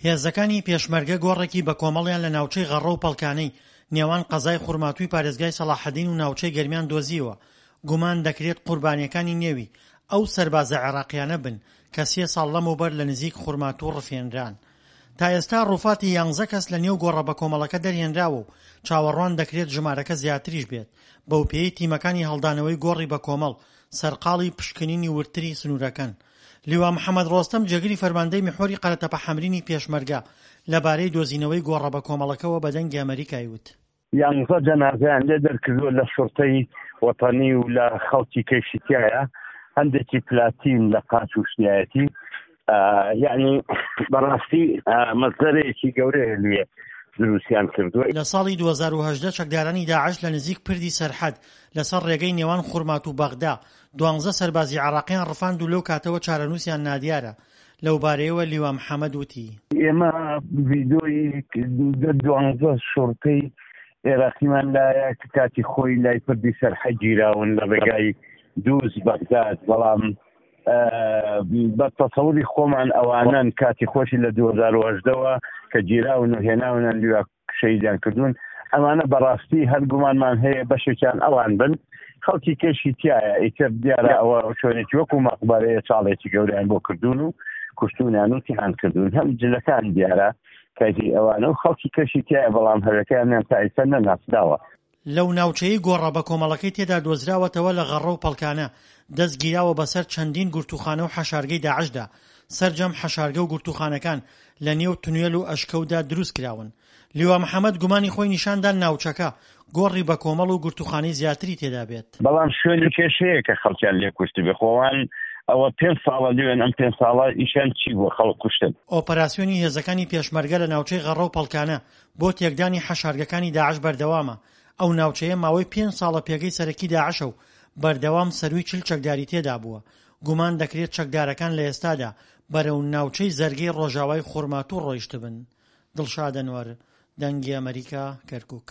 هێزەکانی پێشمەرگە گۆڕێکی بەکۆمەڵیان لە ناوچەی غەڕە و پەڵکانەی نێوان قەزای خورماتووی پارێزگای سەڵاحەدین و ناوچەی گەرمیان دۆزیەوە، گومان دەکرێت قوربانییەکانی نێوی ئەو سەربازە عێراقییانە بن کە سێ ساڵ لەمەوبەر لە نزیک خورماتوو ڕفێنران. تا ئێستا ڕووفاتی یانزە کەس لە نێو گۆڕە بەکۆمەڵەکە دەرهێنراوە و چاوەڕوان دەکرێت ژمارەکە زیاتریش بێت، بەوپێیەی تیمەکانی هەڵدانەوەی گۆڕی بەکۆمەڵ سەرقاڵی پشکنینی وردتری سنوورەکەن. لیوا محەمەد ڕۆستەم جێگری فەرماندەی میحوەری قەرەتەپە حەمرینی پێشمەرگە لەبارەی دۆزینەوەی گۆڕە بەکۆمەڵەکەوە بە دەنگی ئەمەریکای وت. یانزە جەنازەیان لێ دەرکردووە لە شوڕتەی وەتەنی و لە خەڵکی کەیشی تایە هەندێکی پلاتین لە قاچ و شتیایەتی یعنی بەڕاستی مەزەرەیەکی گەورەیە لێ دروستیان کردووە. لە ساڵی 2018 چەکدارانی داعش لە نزیک پردی سەرحەد لەسەر ڕێگەی نێوان خورماتوو بەغدا دوانزە سەربازی عێراقیان ڕفاند و لەو کاتەوە چارەنووسیان نادیارە، لەوبارەیەوە لیوا محەمەد وتی. ئێمە ڤیدۆی دە دوانزە شوڕتەی عێراقیمان لایە کە کاتی خۆی لای پردی سەرحەد گیراون لە ڕێگای دووز بەغداد، بەڵام بە تەسەوری خۆمان ئەوانەن کاتی خۆشی لە 2018 وە کە گیراون و هێناونیان لیوا شەهیدیان کردوون ئەمانە بەڕاستی هەر گومانمان هەیە بەشێکیان ئەوان بن خەڵکی کەشی تایە ئیتر دیارە ئەوە شوێنێکی وەکو مەقبەرەیە چاڵێکی گەوریان بۆ کردوون و کوشتونیان و تیان کردوون هەم جلەکان دیارە کەجی ئەوانە و خەڵکی کەشی تایە بەڵام هەوێکەیانیان تا ئیستا نەناسراوە. لەو ناوچەیەی گۆڕە بەکۆمەڵەکەی تێدا دۆزراوەتەوە لە غەڕە و پەڵکانە، دەست گیراوە بەسەر چەندین گرتووخانە و حەشارگەی داعشدا، سەرجەم حەشارگە و گرتووخانەکان لە نێو تونێل و ئەشکەوتدا دروست کراون. لیوا محەمەد گومانی خۆی نیشان دا ناوچەکە گۆڕی بەکۆمەڵ و گرتووخانەی زیاتری تێدا بێت. بەڵام شوێنی کێشەیە کە خەڵکیان لێ کوشتبێ، خۆ ئەوان ئەوە پێنج ساڵە لێن، ئەم پێنج ساڵە ئیشیان چی بووە خەڵک کوشتن. ئۆپەراسیۆنی هێزەکانی پێشمەرگە لە ناوچەی غەڕە و پەڵکانە بۆ تێکدانی حەشارگەکانی داعش بەردەوامە، ئەو ناوچەیە ماوەی پێنج ساڵە پێگەی سەرەکی داعشە و بەردەوام سەرووی 40 چەکداری تێدابووە، گومان دەکرێت چەکدارەکان لە ئێستادا بەرەو ناوچەی زەرگەی ڕۆژاوای خورماتوو ڕۆیشتبن. دڵشاد ئەنوەر، دەنگی ئەمەریکا، کەرکوک.